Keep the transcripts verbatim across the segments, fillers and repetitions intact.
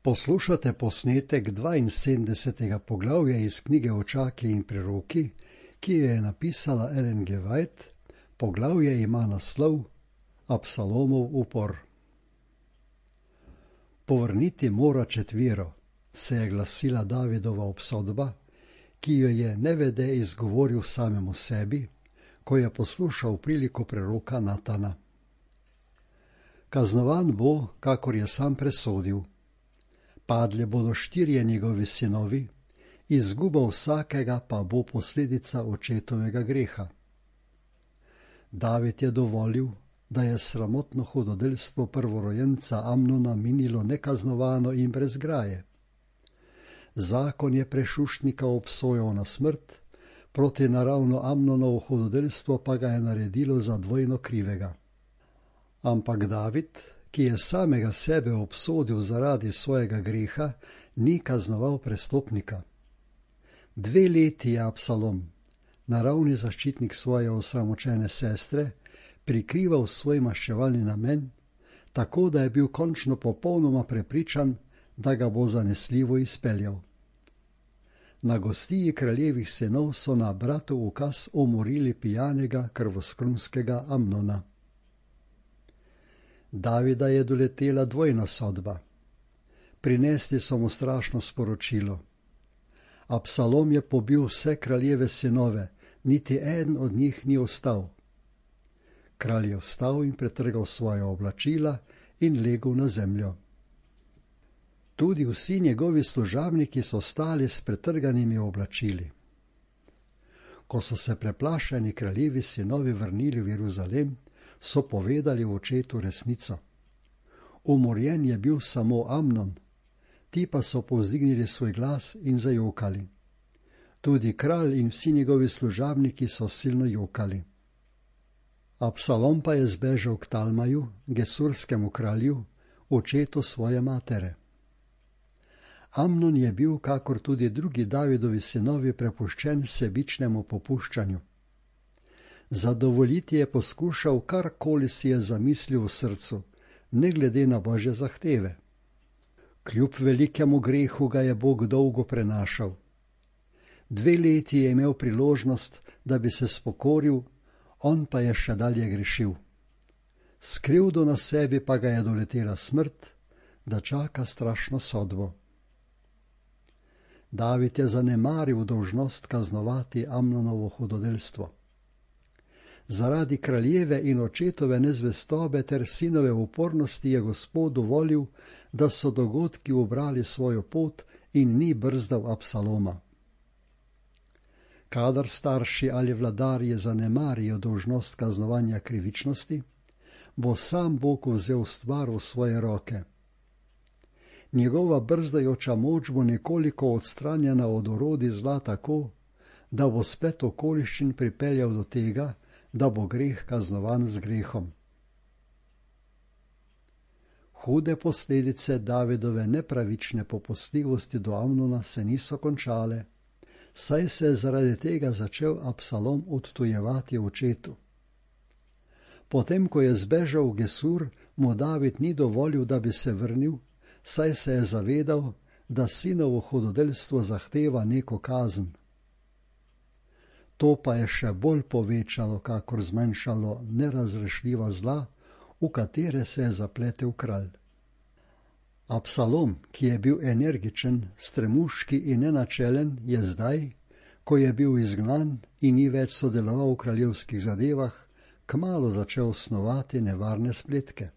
Poslušate posnetek dvainsedemdesetega poglavja iz knjige Očaki in preroki, ki jo je napisala Ellen G. White. Poglavje ima naslov Absalomov upor. Povrniti mora četvero, se je glasila Davidova obsodba, ki jo je nevede izgovoril samemu sebi, ko je poslušal priliko preroka Natana. Kaznovan bo, kakor je sam presodil. Padli bodo štirje njegovi sinovi, izguba vsakega pa bo posledica očetovega greha. David je dovolil, da je sramotno hudodelstvo prvorojenca Amnona minilo nekaznovano in brez graje. Zakon je prešuštnika obsojal na smrt, protinaravno Amnonovo hudodelstvo pa ga je naredilo za dvojno krivega. Ampak David, ki je samega sebe obsodil zaradi svojega greha, ni kaznoval prestopnika. Dve leti je Absalom, naravni zaščitnik svoje osramočene sestre, prikrival svoj maščevalni namen, tako da je bil končno popolnoma prepričan, da ga bo zanesljivo izpeljal. Na gostiji kraljevih sinov so na bratov ukaz umorili pijanega krvoskrunskega Amnona. Davida je doletela dvojna sodba. Prinesli so mu strašno sporočilo. Absalom je pobil vse kraljeve sinove, niti eden od njih ni ostal. Kralj je vstal in pretrgal svoja oblačila in legel na zemljo. Tudi vsi njegovi služabniki so stali s pretrganimi oblačili. Ko so se preplašeni kraljevi sinovi vrnili v Jeruzalem, so povedali očetu resnico. Umorjen je bil samo Amnon, ti pa so povzdignili svoj glas in zajokali. Tudi kralj in vsi njegovi služabniki so silno jokali. Absalom pa je zbežal k Talmaju, gesurskemu kralju, očetu svoje matere. Amnon je bil, kakor tudi drugi Davidovi sinovi, prepuščen sebičnemu popuščanju. Zadovoljiti je poskušal, karkoli si je zamislil v srcu, ne glede na Božje zahteve. Kljub velikemu grehu ga je Bog dolgo prenašal. Dve leti je imel priložnost, da bi se spokoril, on pa je še dalje grešil. S krivdo na sebi pa ga je doletela smrt, da čaka strašno sodbo. David je zanemaril dolžnost kaznovati Amnonovo hudodelstvo. Zaradi kraljeve in očetove nezvestobe ter sinove upornosti je Gospod dovolil, da so dogodki ubrali svojo pot in ni brzdal Absaloma. Kadar starši ali vladarji zanemarijo dolžnost kaznovanja krivičnosti, bo sam Bog vzel stvar v svoje roke. Njegova brzdajoča moč bo nekoliko odstranjena od orodij zla tako, da bo splet okoliščin pripeljal do tega, da bo greh kaznovan z grehom. Hude posledice Davidove nepravične popustljivosti do Amnona se niso končale, saj se je zaradi tega začel Absalom odtujevati očetu. Potem, ko je zbežal v Gesur, mu David ni dovolil, da bi se vrnil, saj se je zavedal, da sinovo hudodelstvo zahteva neko kazen. To pa je še bolj povečalo, kakor zmanjšalo nerazrešljiva zla, v katere se je zapletel kralj. Absalom, ki je bil energičen, stremuški in nenačelen, je zdaj, ko je bil izgnan in ni več sodeloval v kraljevskih zadevah, kmalu začel snovati nevarne spletke.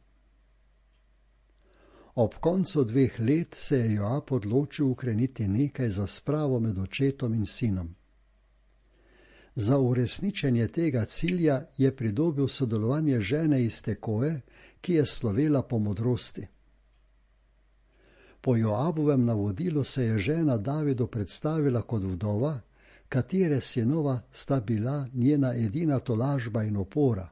Ob koncu dveh let se je Joab odločil ukreniti nekaj za spravo med očetom in sinom. Za uresničenje tega cilja je pridobil sodelovanje žene iz Tekoje, ki je slovela po modrosti. Po Joabovem navodilu se je žena Davidu predstavila kot vdova, katere sinova sta bila njena edina tolažba in opora.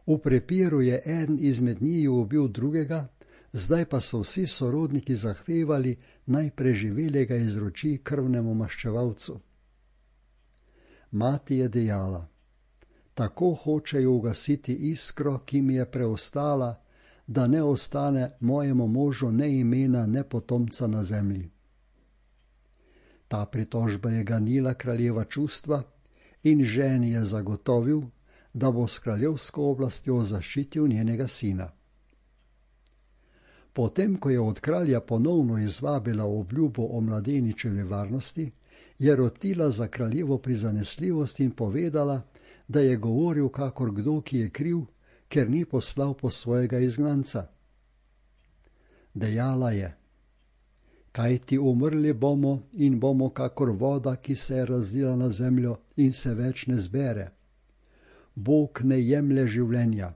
V prepiru je eden izmed njiju ubil drugega, zdaj pa so vsi sorodniki zahtevali, naj preživelega izroči krvnemu maščevalcu. Mati je dejala: tako hočejo ugasiti iskro, ki mi je preostala, da ne ostane mojemu možu ne imena, ne potomca na zemlji. Ta pritožba je ganila kraljeva čustva in ženi je zagotovil, da bo s kraljevsko oblastjo zaščitil njenega sina. Potem, ko je od kralja ponovno izvabila obljubo o mladeničevi varnosti, je rotila za kraljevo prizanesljivost in povedala, da je govoril kakor kdo, ki je kriv, ker ni poslal po svojega izgnanca. Dejala je: kajti umrli bomo in bomo kakor voda, ki se je razlila na zemljo in se več ne zbere. Bog ne jemlje življenja,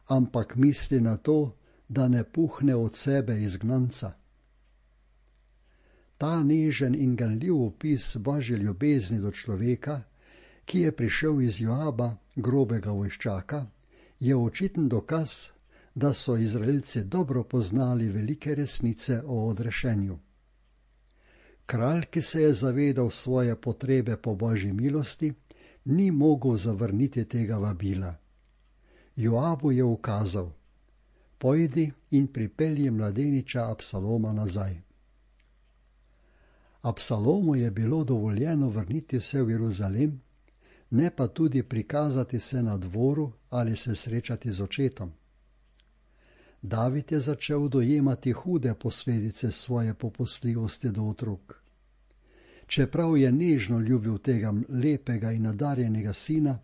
ampak misli na to, da ne puhne od sebe izgnanca. Ta nežen in ganljiv opis Božje ljubezni do človeka, ki je prišel iz Joaba, grobega vojščaka, je očiten dokaz, da so Izraelci dobro poznali velike resnice o odrešenju. Kralj, ki se je zavedal svoje potrebe po Božji milosti, ni mogel zavrniti tega vabila. Joabu je ukazal: pojdi in pripelji mladeniča Absaloma nazaj. Absalomu je bilo dovoljeno vrniti se v Jeruzalem, ne pa tudi prikazati se na dvoru ali se srečati z očetom. David je začel dojemati hude posledice svoje popustljivosti do otrok. Čeprav je nežno ljubil tega lepega in nadarjenega sina,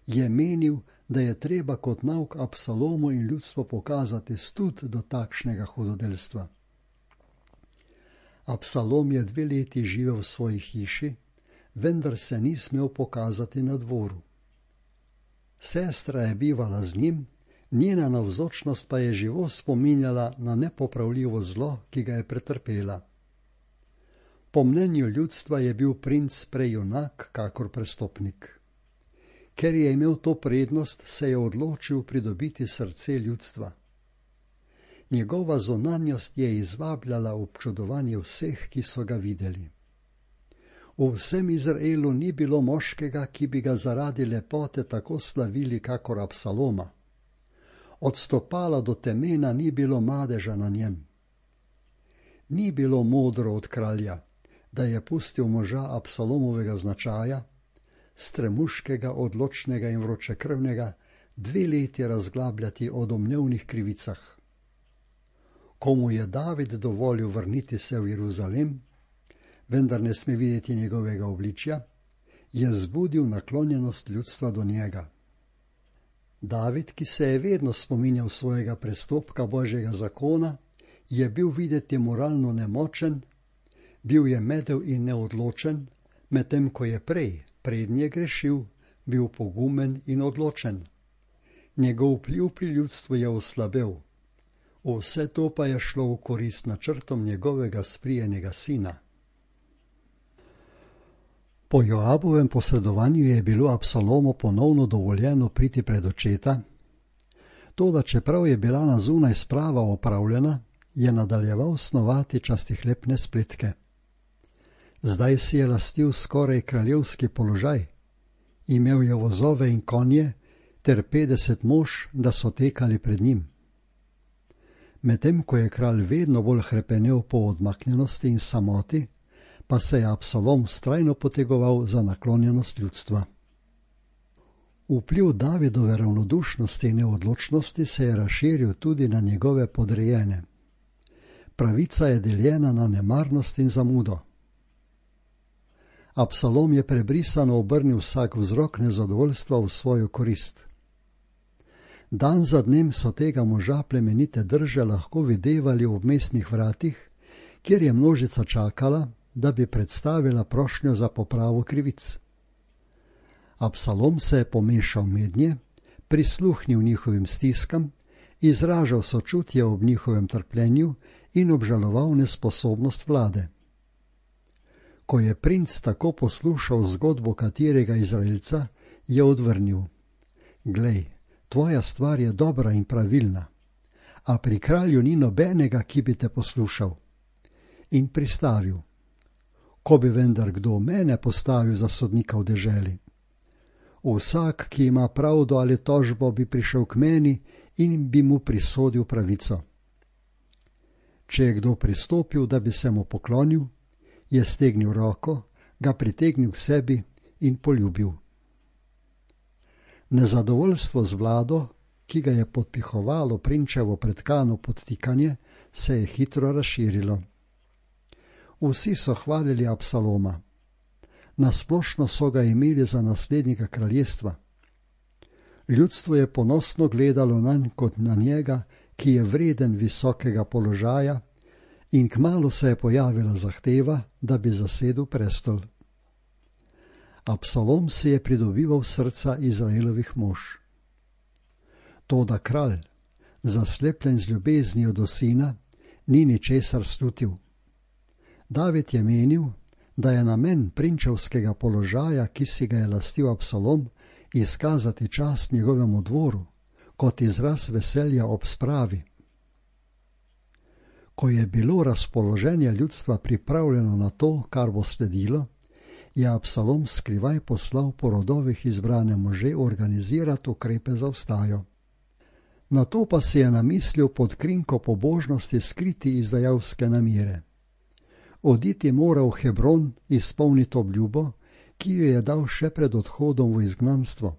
je menil, da je treba kot nauk Absalomu in ljudstvo pokazati stud do takšnega hudodelstva. Absalom je dve leti živel v svoji hiši, vendar se ni smel pokazati na dvoru. Sestra je bivala z njim, njena navzočnost pa je živo spominjala na nepopravljivo zlo, ki ga je pretrpela. Po mnenju ljudstva je bil princ prej junak kakor prestopnik. Ker je imel to prednost, se je odločil pridobiti srce ljudstva. Njegova zunanjost je izvabljala občudovanje vseh, ki so ga videli. V vsem Izraelu ni bilo moškega, ki bi ga zaradi lepote tako slavili kakor Absaloma. Od stopala do temena ni bilo madeža na njem. Ni bilo modro od kralja, da je pustil moža Absalomovega značaja, stremuškega, odločnega in vročekrvnega, dve leti razglabljati o domnevnih krivicah. Ko mu je David dovolil vrniti se v Jeruzalem, vendar ne sme videti njegovega obličja, je zbudil naklonjenost ljudstva do njega. David, ki se je vedno spominjal svojega prestopka Božjega zakona, je bil videti moralno nemočen, bil je medel in neodločen, medtem ko je prej, prednje grešil, bil pogumen in odločen. Njegov vpliv pri ljudstvu je oslabel. Vse to pa je šlo v korist načrtom njegovega sprijenega sina. Po Joabovem posredovanju je bilo Absalomu ponovno dovoljeno priti pred očeta, toda čeprav je bila na zunaj sprava opravljena, je nadaljeval snovati častihlepne spletke. Zdaj si je lastil skoraj kraljevski položaj, imel je vozove in konje ter petdeset mož, da so tekali pred njim. Medtem ko je kralj vedno bolj hrepenel po odmaknjenosti in samoti, pa se je Absalom vztrajno potegoval za naklonjenost ljudstva. Vpliv Davidove ravnodušnosti in neodločnosti se je razširil tudi na njegove podrejene. Pravica je deljena na nemarnost in zamudo. Absalom je prebrisano obrnil vsak vzrok nezadovoljstva v svojo korist. Dan za dnem so tega moža plemenite drže lahko videvali v mestnih vratih, kjer je množica čakala, da bi predstavila prošnjo za popravo krivic. Absalom se je pomešal mednje, prisluhnil njihovim stiskam, izražal sočutje ob njihovem trpljenju in obžaloval nesposobnost vlade. Ko je princ tako poslušal zgodbo katerega Izraelca, je odvrnil: Glej, tvoja stvar je dobra in pravilna, a pri kralju ni nobenega, ki bi te poslušal. In pristavil: Ko bi vendar kdo mene postavil za sodnika v deželi? Vsak, ki ima pravdo ali tožbo, bi prišel k meni in bi mu prisodil pravico. Če je kdo pristopil, da bi se mu poklonil, je stegnil roko, ga pritegnil k sebi in poljubil. Nezadovoljstvo z vlado, ki ga je podpihovalo prinčevo pretkano podtikanje, se je hitro razširilo. Vsi so hvalili Absaloma. Nasplošno so ga imeli za naslednika kraljestva. Ljudstvo je ponosno gledalo nanj kot na njega, ki je vreden visokega položaja, in kmalu se je pojavila zahteva, da bi zasedel prestol. Absalom si je pridobival srca Izraelovih mož. Toda kralj, zaslepljen z ljubeznijo do sina, ni ničesar slutil. David je menil, da je namen prinčevskega položaja, ki si ga je lastil Absalom, izkazati čast njegovemu dvoru, kot izraz veselja ob spravi. Ko je bilo razpoloženje ljudstva pripravljeno na to, kar bo sledilo, je Absalom skrivaj poslal po rodovih izbrane može organizirati ukrepe za vstajo. Nato pa si je namislil pod krinko pobožnosti skriti izdajalske namere. Oditi mora v Hebron izpolniti obljubo, ki jo je dal še pred odhodom v izgnanstvo.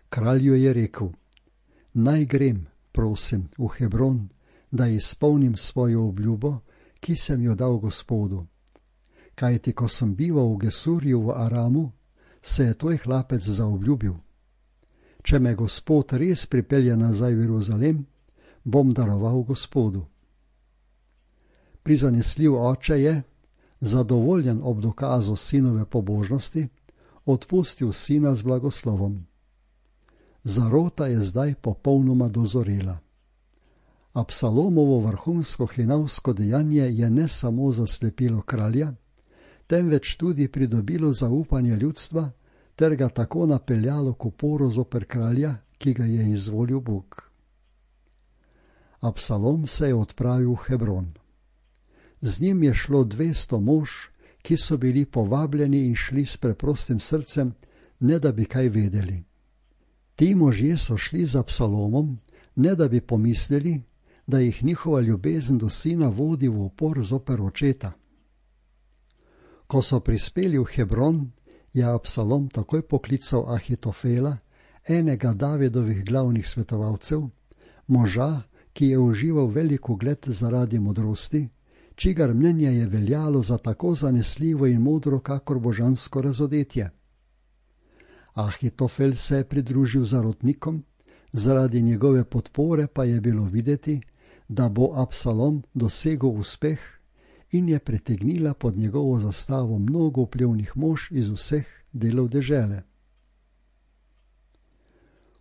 Kralju je rekel: naj grem, prosim, v Hebron, da izpolnim svojo obljubo, ki sem jo dal Gospodu. Kajti, ko sem bival v Gesurju v Aramu, se je tvoj hlapec zaobljubil. Če me Gospod res pripelje nazaj v Jeruzalem, bom daroval Gospodu. Prizanesljiv oče je, zadovoljen ob dokazu sinove pobožnosti, odpustil sina z blagoslovom. Zarota je zdaj popolnoma dozorela. Absalomovo vrhunsko hinavsko dejanje je ne samo zaslepilo kralja, temveč tudi pridobilo zaupanje ljudstva ter ga tako napeljalo k uporu zoper kralja, ki ga je izvolil Bog. Absalom se je odpravil v Hebron. Z njim je šlo dvesto mož, ki so bili povabljeni in šli s preprostim srcem, ne da bi kaj vedeli. Ti možje so šli z Absalomom, ne da bi pomislili, da jih njihova ljubezen do sina vodi v upor zoper očeta. Ko so prispeli v Hebron, je Absalom takoj poklical Ahitofela, enega Davidovih glavnih svetovalcev, moža, ki je užival velik ugled zaradi modrosti, čigar mnenje je veljalo za tako zanesljivo in modro, kakor božansko razodetje. Ahitofel se je pridružil zarotnikom, zaradi njegove podpore pa je bilo videti, da bo Absalom dosegel uspeh, in je pritegnila pod njegovo zastavo mnogo vplivnih mož iz vseh delov dežele.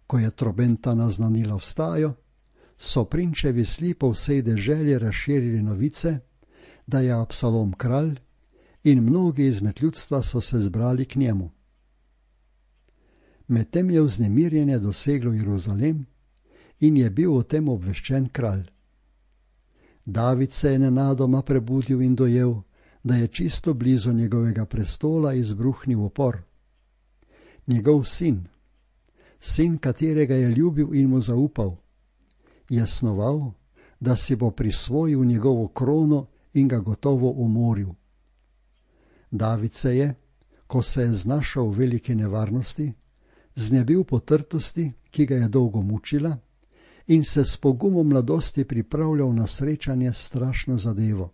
Ko je trobenta naznanila vstajo, so prinčevi sli po vsej deželi razširili novice, da je Absalom kralj, in mnogi izmed ljudstva so se zbrali k njemu. Medtem je vznemirjenje doseglo Jeruzalem in je bil o tem obveščen kralj. David se je nenadoma prebudil in dojel, da je čisto blizu njegovega prestola izbruhnil upor. Njegov sin, sin, katerega je ljubil in mu zaupal, je snoval, da si bo prisvojil njegovo krono in ga gotovo umoril. David se je, ko se je znašel v veliki nevarnosti, znebil potrtosti, ki ga je dolgo mučila, in se s pogumom mladosti pripravljal na srečanje s strašno zadevo.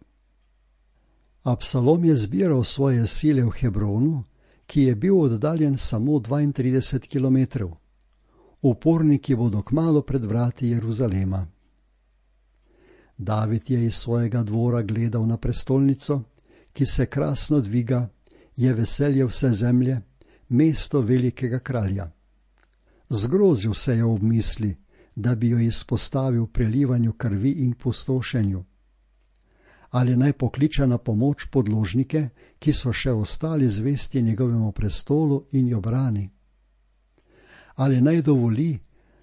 Absalom je zbiral svoje sile v Hebronu, ki je bil oddaljen samo dvaintrideset kilometrov. Uporniki bodo kmalu pred vrati Jeruzalema. David je iz svojega dvora gledal na prestolnico, ki se krasno dviga, je veselje vse zemlje, mesto velikega kralja. Zgrozil se je ob misli, da bi jo izpostavil prelivanju krvi in pustošenju. Ali naj pokliče na pomoč podložnike, ki so še ostali zvesti njegovemu prestolu in jo brani? Ali naj dovoli,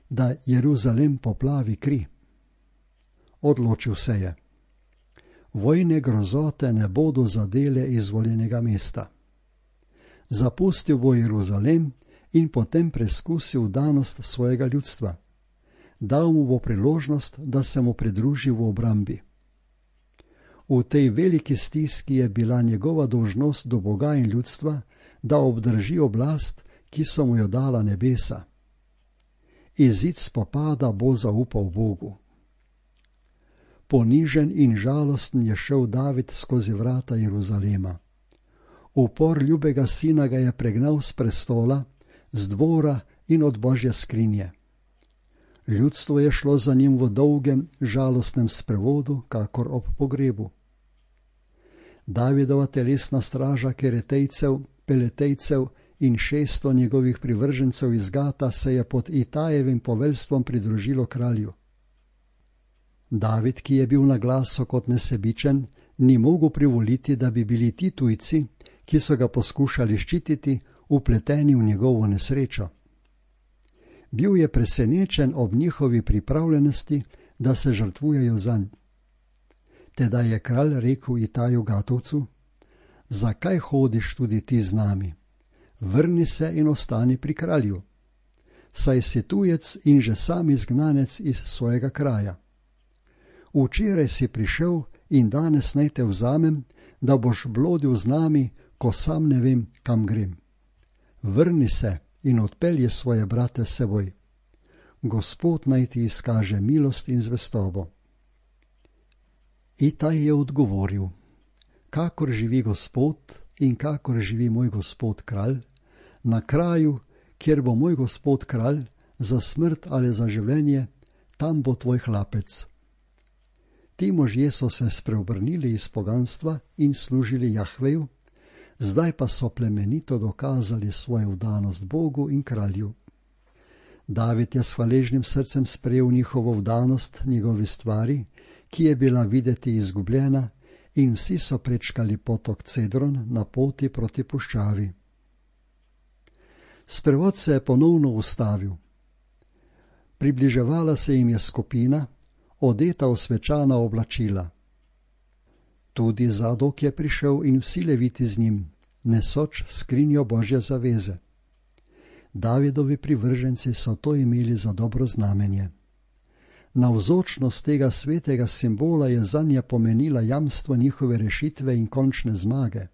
da Jeruzalem poplavi kri? Odločil se je. Vojne grozote ne bodo zadele izvoljenega mesta. Zapustil bo Jeruzalem in potem preskusil danost svojega ljudstva. dal mu bo priložnost, da se mu pridruži v obrambi. V tej veliki stiski je bila njegova dolžnost do Boga in ljudstva, da obdrži oblast, ki so mu jo dala nebesa. Izid spopada bo zaupal Bogu. Ponižen in žalosten je šel David skozi vrata Jeruzalema. Upor ljubega sina ga je pregnal s prestola, z dvora in od Božje skrinje. Ljudstvo je šlo za njim v dolgem, žalostnem sprevodu, kakor ob pogrebu. Davidova telesna straža keretejcev, peletejcev in šeststo njegovih privržencev iz Gata se je pod Itajevim poveljstvom pridružilo kralju. David, ki je bil na glaso kot nesebičen, ni mogel privoliti, da bi bili ti tujci, ki so ga poskušali ščititi, upleteni v njegovo nesrečo. Bil je presenečen ob njihovi pripravljenosti, da se žrtvujejo zanj. Teda je kralj rekel Itaju Gatovcu: zakaj hodiš tudi ti z nami? Vrni se in ostani pri kralju. Saj si tujec in že sam izgnanec iz svojega kraja. Včeraj si prišel in danes naj te vzamem, da boš blodil z nami, ko sam ne vem, kam grem. Vrni se in odpelje svoje brate s seboj. Gospod naj ti izkaže milost in zvestobo. Itaj je odgovoril: kakor živi Gospod in kakor živi moj gospod kralj, na kraju, kjer bo moj gospod kralj, za smrt ali za življenje, tam bo tvoj hlapec. Ti možje so se spreobrnili iz poganstva in služili Jahveju, zdaj pa so plemenito dokazali svojo vdanost Bogu in kralju. David je s hvaležnim srcem sprejel njihovo vdanost njegovi stvari, ki je bila videti izgubljena, in vsi so prečkali potok Cedron na poti proti puščavi. Sprevod se je ponovno ustavil. Približevala se jim je skupina, odeta v svečana oblačila. Tudi Zadok je prišel in vsi leviti z njim, nesoč skrinjo Božje zaveze. Davidovi privrženci so to imeli za dobro znamenje. Navzočnost tega svetega simbola je zanje pomenila jamstvo njihove rešitve in končne zmage.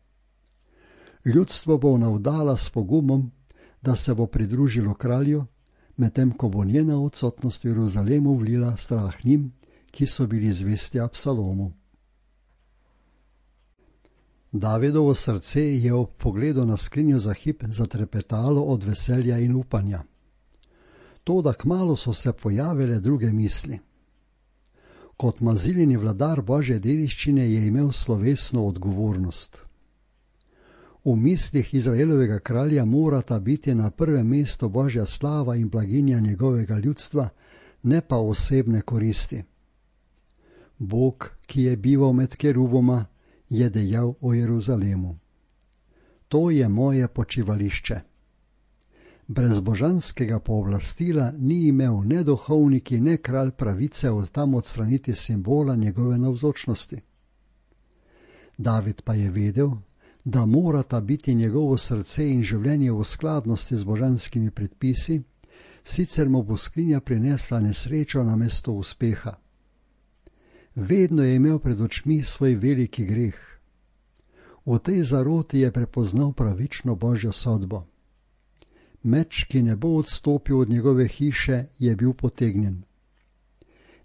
Ljudstvo bo navdala s pogumom, da se bo pridružilo kralju, medtem ko bo njena odsotnost v Jeruzalemu vlila strah njim, ki so bili zvesti Absalomu. Davidovo srce je ob pogledu na skrinjo za hip zatrepetalo od veselja in upanja. Toda kmalu so se pojavile druge misli. Kot maziljeni vladar Božje dediščine je imel slovesno odgovornost. V mislih Izraelovega kralja morata biti na prvem mestu Božja slava in blaginja njegovega ljudstva, ne pa osebne koristi. Bog, ki je bival med keruboma, je dejal o Jeruzalemu: to je moje počivališče. Brez božanskega pooblastila ni imel ne duhovniki, ne kralj pravice od tam odstraniti simbola njegove navzočnosti. David pa je vedel, da morata biti njegovo srce in življenje v skladnosti z božanskimi predpisi, sicer mu bo skrinja prinesla nesrečo namesto uspeha. Vedno je imel pred očmi svoj veliki greh. V tej zaroti je prepoznal pravično Božjo sodbo. Meč, ki ne bo odstopil od njegove hiše, je bil potegnjen.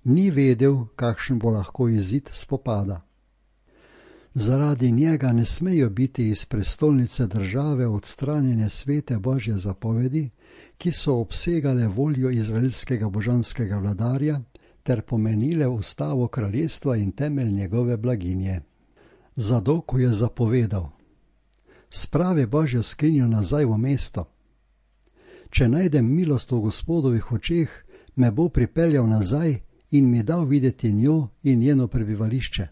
Ni vedel, kakšen bo lahko izid spopada. Zaradi njega ne smejo biti iz prestolnice države odstranjene svete Božje zapovedi, ki so obsegale voljo izraelskega božanskega vladarja ter pomenile ustavo kraljestva in temelj njegove blaginje. Zadoku je zapovedal: spravi Božjo skrinjo nazaj v mesto. Če najdem milost v Gospodovih očeh, me bo pripeljal nazaj in mi dal videti njo in njeno prebivališče.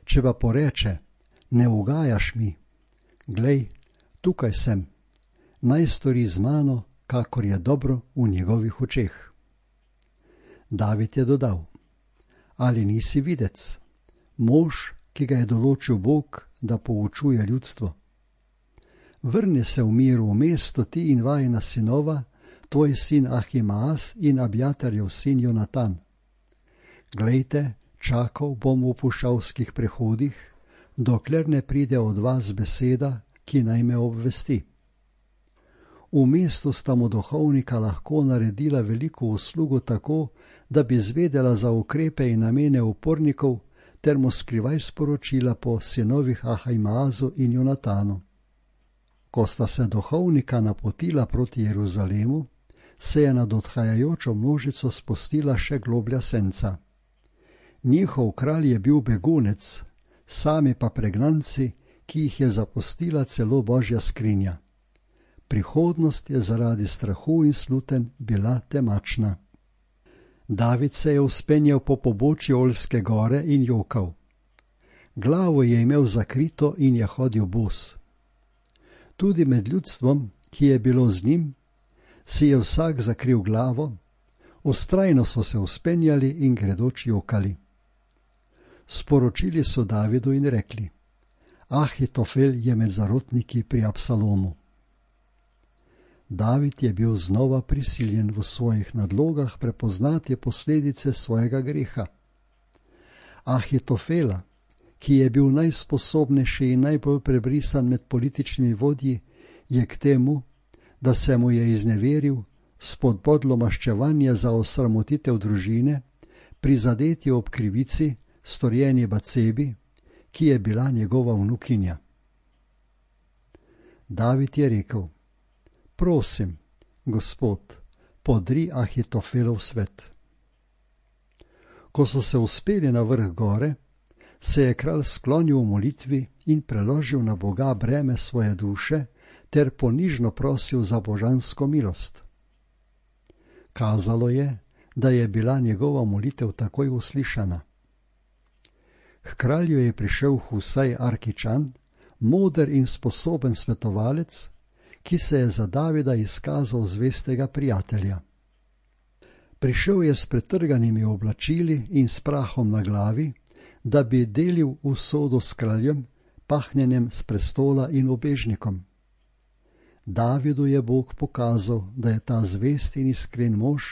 Če pa poreče: ne ugajaš mi, glej, tukaj sem, naj stori z mano, kakor je dobro v njegovih očeh. David je dodal: ali nisi videc, mož, ki ga je določil Bog, da poučuje ljudstvo? Vrni se v miru v mesto ti in vajina sinova, tvoj sin Ahimaaz in Abjatarjev sin Jonatan. Glejte, čakal bom v puščavskih prehodih, dokler ne pride od vas beseda, ki naj me obvesti. V mestu sta mu duhovnika lahko naredila veliko uslugo tako, da bi zvedela za ukrepe in namene upornikov, ter mu skrivaj sporočila po sinovih Ahimaazu in Jonatanu. Ko sta se duhovnika napotila proti Jeruzalemu, se je nad odhajajočo množico spustila še globlja senca. Njihov kralj je bil begunec, sami pa pregnanci, ki jih je zapustila celo Božja skrinja. Prihodnost je zaradi strahu in sluten bila temačna. David se je vzpenjal po pobočju Oljske gore in jokal. Glavo je imel zakrito in je hodil bos. Tudi med ljudstvom, ki je bilo z njim, si je vsak zakril glavo, vztrajno so se vzpenjali in gredoč jokali. Sporočili so Davidu in rekli: Ahitofel je med zarotniki pri Absalomu. David je bil znova prisiljen v svojih nadlogah prepoznati posledice svojega greha. Ahitofela, ki je bil najsposobnejši in najbolj prebrisan med političnimi vodji, je k temu, da se mu je izneveril, spodbodlo maščevanje za osramotitev družine, prizadeti ob krivici, storjeni Batsebi, ki je bila njegova vnukinja. David je rekel: Prosim, Gospod, podri Ahitofelov svet. Ko so se uspeli na vrh gore, se je kralj sklonil v molitvi in preložil na Boga breme svoje duše ter ponižno prosil za božansko milost. Kazalo je, da je bila njegova molitev takoj uslišana. K kralju je prišel Husaj Arkičan, moder in sposoben svetovalec, ki se je za Davida izkazal zvestega prijatelja. Prišel je s pretrganimi oblačili in s prahom na glavi, da bi delil usodo s kraljem, pahnjenjem s prestola in obežnikom. Davidu je Bog pokazal, da je ta zvest in iskren mož,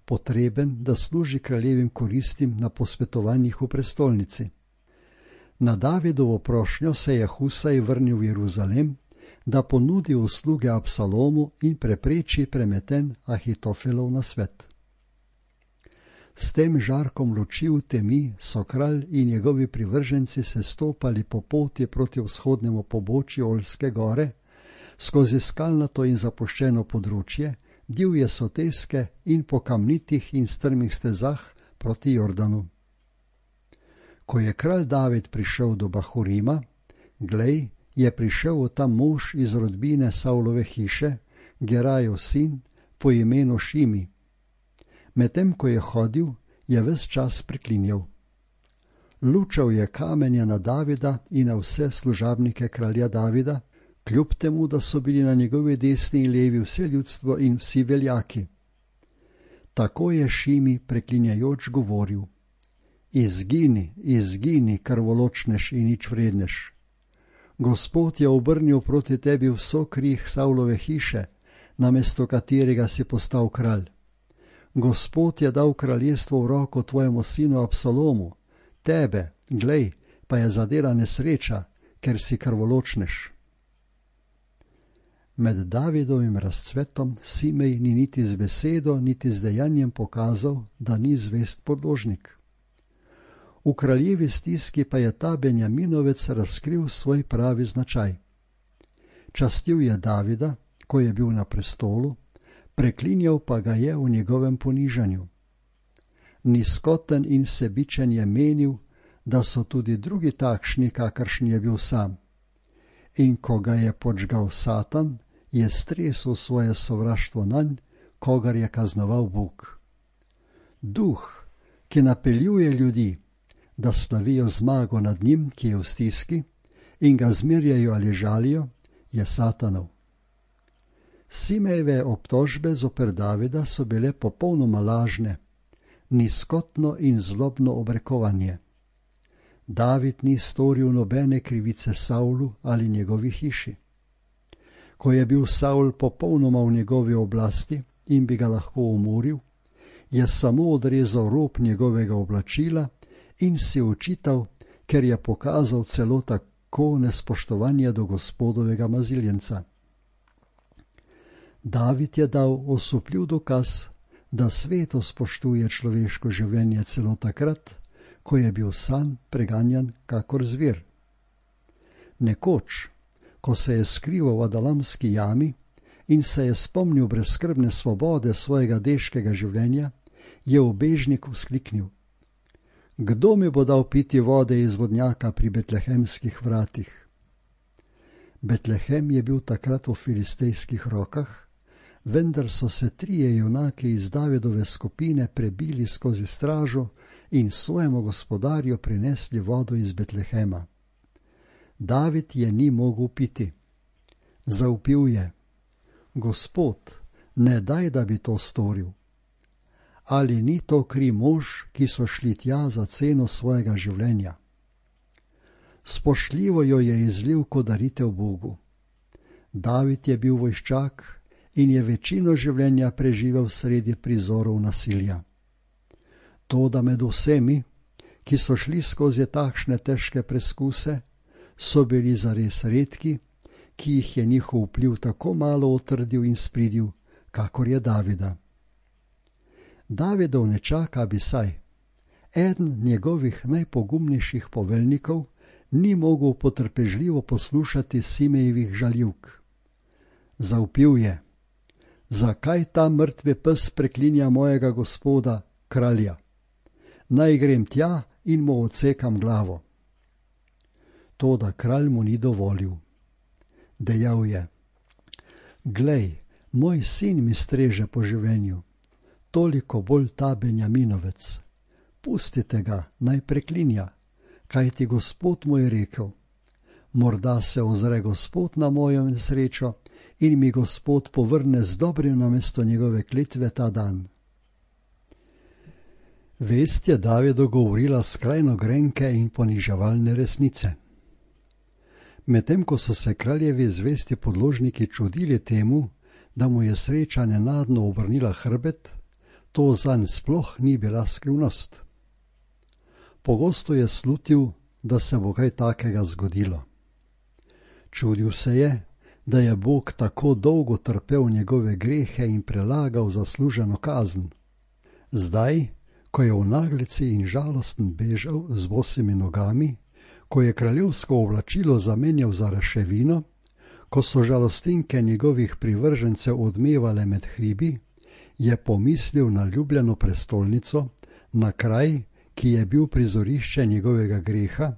potreben, da služi kraljevim koristim na posvetovanjih v prestolnici. Na Davidovo prošnjo se je Husaj vrnil v Jeruzalem, da ponudi usluge Absalomu in prepreči premeten Ahitofelov nasvet. S tem žarkom luči v temi so kralj in njegovi privrženci se stopali po poti proti vzhodnemu pobočju Oljske gore, skozi skalnato in zapuščeno področje, divje soteske in po kamnitih in strmih stezah proti Jordanu. Ko je kralj David prišel do Bahurima, glej, je prišel tam mož iz rodbine Saulove hiše, Gerajev sin, po imenu Šimi. Medtem ko je hodil, je ves čas priklinjal. Lučal je kamenje na Davida in na vse služabnike kralja Davida, kljub temu, da so bili na njegovi desni in levi vse ljudstvo in vsi veljaki. Tako je Šimi preklinjajoč govoril: Izgini, izgini, krvoločnež in nič vrednež. Gospod je obrnil proti tebi vso krih Saulove hiše, namesto katerega si postal kralj. Gospod je dal kraljestvo v roko tvojemu sinu Absalomu, tebe, glej, pa je zadela nesreča, ker si krvoločnež. Med Davidovim razcvetom Simej ni niti z besedo, niti z dejanjem pokazal, da ni zvest podložnik. V kraljevi stiski pa je ta Benjaminovec razkril svoj pravi značaj. Častil je Davida, ko je bil na prestolu, preklinjal pa ga je v njegovem ponižanju. Nizkoten in sebičen je menil, da so tudi drugi takšni, kakršen je bil sam. In ko ga je podžgal Satan, je stresel svoje sovraštvo nanj, kogar je kaznoval Bog. Duh, ki napeljuje ljudi, da slavijo zmago nad njim, ki je v stiski, in ga zmerjajo ali žalijo, je Satanov. Simejeve obtožbe zoper Davida so bile popolnoma lažne, nizkotno in zlobno obrekovanje. David ni storil nobene krivice Saulu ali njegovi hiši. Ko je bil Saul popolnoma v njegovi oblasti, in bi ga lahko umoril, je samo odrezal rob njegovega oblačila in si očital, ker je pokazal celo tako nespoštovanje do Gospodovega maziljenca. David je dal osupljiv dokaz, da sveto spoštuje človeško življenje celo takrat, ko je bil sam preganjan kakor zver. Nekoč, ko se je skrival v Adalamski jami in se je spomnil brezskrbne svobode svojega deškega življenja, je ubežnik vzkliknil: Kdo mi bo dal piti vode iz vodnjaka pri betlehemskih vratih? Betlehem je bil takrat v filistejskih rokah, vendar so se trije junaki iz Davidove skupine prebili skozi stražo in svojemu gospodarju prinesli vodo iz Betlehema. David je ni mogel piti. Zavpil je: Gospod, ne daj, da bi to storil. Ali ni to kri mož, ki so šli tja za ceno svojega življenja? Spoštljivo jo je izlil kot daritev Bogu. David je bil vojščak in je večino življenja preživel sredi prizorov nasilja. Toda med vsemi, ki so šli skozi takšne težke preskuse, so bili zares redki, ki jih je njihov vpliv tako malo utrdil in spridil, kakor je Davida. Davidov nečak Abisaj, eden njegovih najpogumnejših poveljnikov, ni mogel potrpežljivo poslušati Simejevih žaljivk. Zavpil je: Zakaj ta mrtvi pes preklinja mojega gospoda, kralja? Naj grem tja in mu odsekam glavo. Toda kralj mu ni dovolil. Dejal je: Glej, moj sin mi streže po življenju, toliko bolj ta Benjaminovec. Pustite ga, naj preklinja, kajti Gospod mu je rekel: Morda se ozre Gospod na mojo nesrečo in mi Gospod povrne z dobrim namesto njegove klitve ta dan. Vest je Davidu govorila skrajno grenke in poniževalne resnice. Medtem ko so se kraljevi zvesti podložniki čudili temu, da mu je sreča nenadno obrnila hrbet, to zanj sploh ni bila skrivnost. Pogosto je slutil, da se bo kaj takega zgodilo. Čudil se je, da je Bog tako dolgo trpel njegove grehe in prelagal zasluženo kazen. Zdaj, ko je v naglici in žalosten bežal z bosimi nogami, ko je kraljevsko oblačilo zamenjal za raševino, ko so žalostinke njegovih privržencev odmevale med hribi, je pomislil na ljubljeno prestolnico, na kraj, ki je bil prizorišče njegovega greha,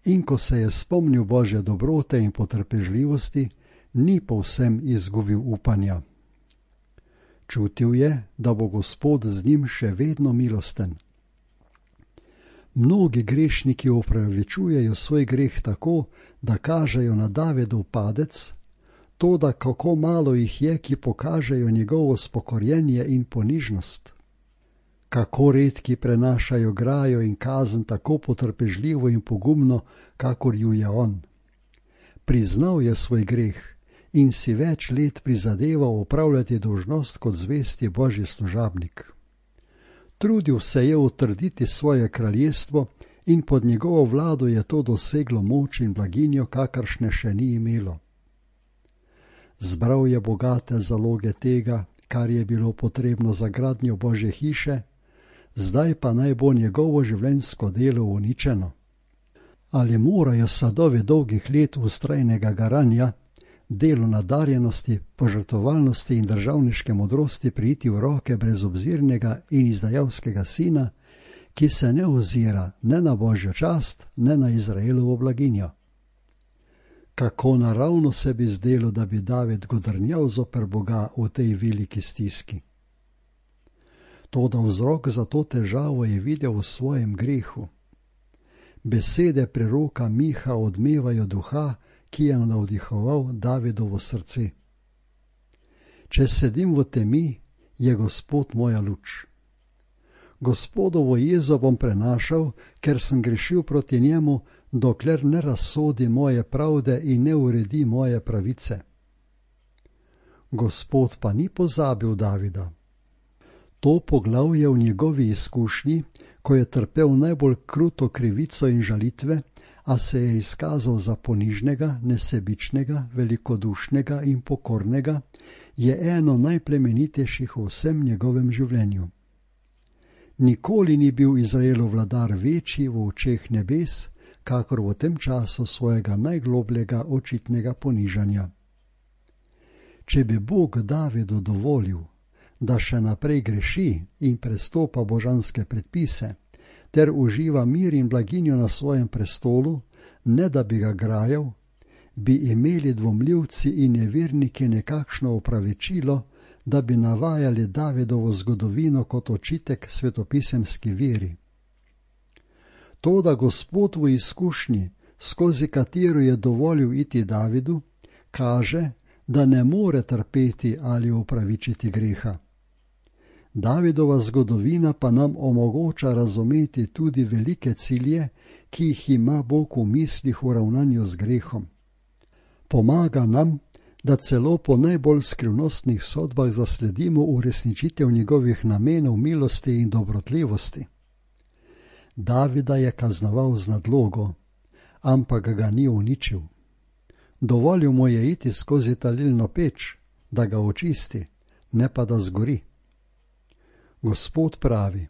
in ko se je spomnil Božje dobrote in potrpežljivosti, ni povsem izgubil upanja. Čutil je, da bo Gospod z njim še vedno milosten. Mnogi grešniki opravičujejo svoj greh tako, da kažejo na Davidov padec, toda kako malo jih je, ki pokažejo njegovo spokorjenje in ponižnost. Kako redki prenašajo grajo in kazen tako potrpežljivo in pogumno, kakor ju je on. Priznal je svoj greh in si več let prizadeval opravljati dolžnost kot zvesti Božji služabnik. Trudil se je utrditi svoje kraljestvo in pod njegovo vlado je to doseglo moč in blaginjo, kakršne še ni imelo. Zbral je bogate zaloge tega, kar je bilo potrebno za gradnjo Božje hiše, zdaj pa naj bo njegovo življenjsko delo uničeno. Ali morajo sadovi dolgih let vztrajnega garanja, delo nadarjenosti, požrtovalnosti in državniške modrosti priti v roke brezobzirnega in izdajalskega sina, ki se ne ozira ne na Božjo čast, ne na Izraelovo blaginjo? Kako naravno se bi zdelo, da bi David godrnjal zoper Boga v tej veliki stiski. Toda vzrok za to težavo je videl v svojem grehu. Besede preroka Miha odmevajo duha, ki je navdihoval Davidovo srce. Če sedim v temi, je Gospod moja luč. Gospodovo jezo bom prenašal, ker sem grešil proti njemu, dokler ne razsodi moje pravde in ne uredi moje pravice. Gospod pa ni pozabil Davida. To poglavje v njegovi izkušnji, ko je trpel najbolj kruto krivico in žalitve, a se je izkazal za ponižnega, nesebičnega, velikodušnega in pokornega, je eno najplemenitejših v vsem njegovem življenju. Nikoli ni bil Izraelov vladar večji v očeh nebes, kakor v tem času svojega najglobljega očitnega ponižanja. Če bi Bog Davidu dovolil, da še naprej greši in prestopa božanske predpise, ter uživa mir in blaginjo na svojem prestolu, ne da bi ga grajal, bi imeli dvomljivci in neverniki nekakšno opravičilo, da bi navajali Davidovo zgodovino kot očitek svetopisemski veri. Toda Gospod v izkušnji, skozi katero je dovolil iti Davidu, kaže, da ne more trpeti ali opravičiti greha. Davidova zgodovina pa nam omogoča razumeti tudi velike cilje, ki jih ima Bog v mislih v ravnanju z grehom. Pomaga nam, da celo po najbolj skrivnostnih sodbah zasledimo uresničitev njegovih namenov milosti in dobrotljivosti. Davida je kaznoval z nadlogo, ampak ga ni uničil. Dovolil mu je iti skozi talilno peč, da ga očisti, ne pa da zgori. Gospod pravi,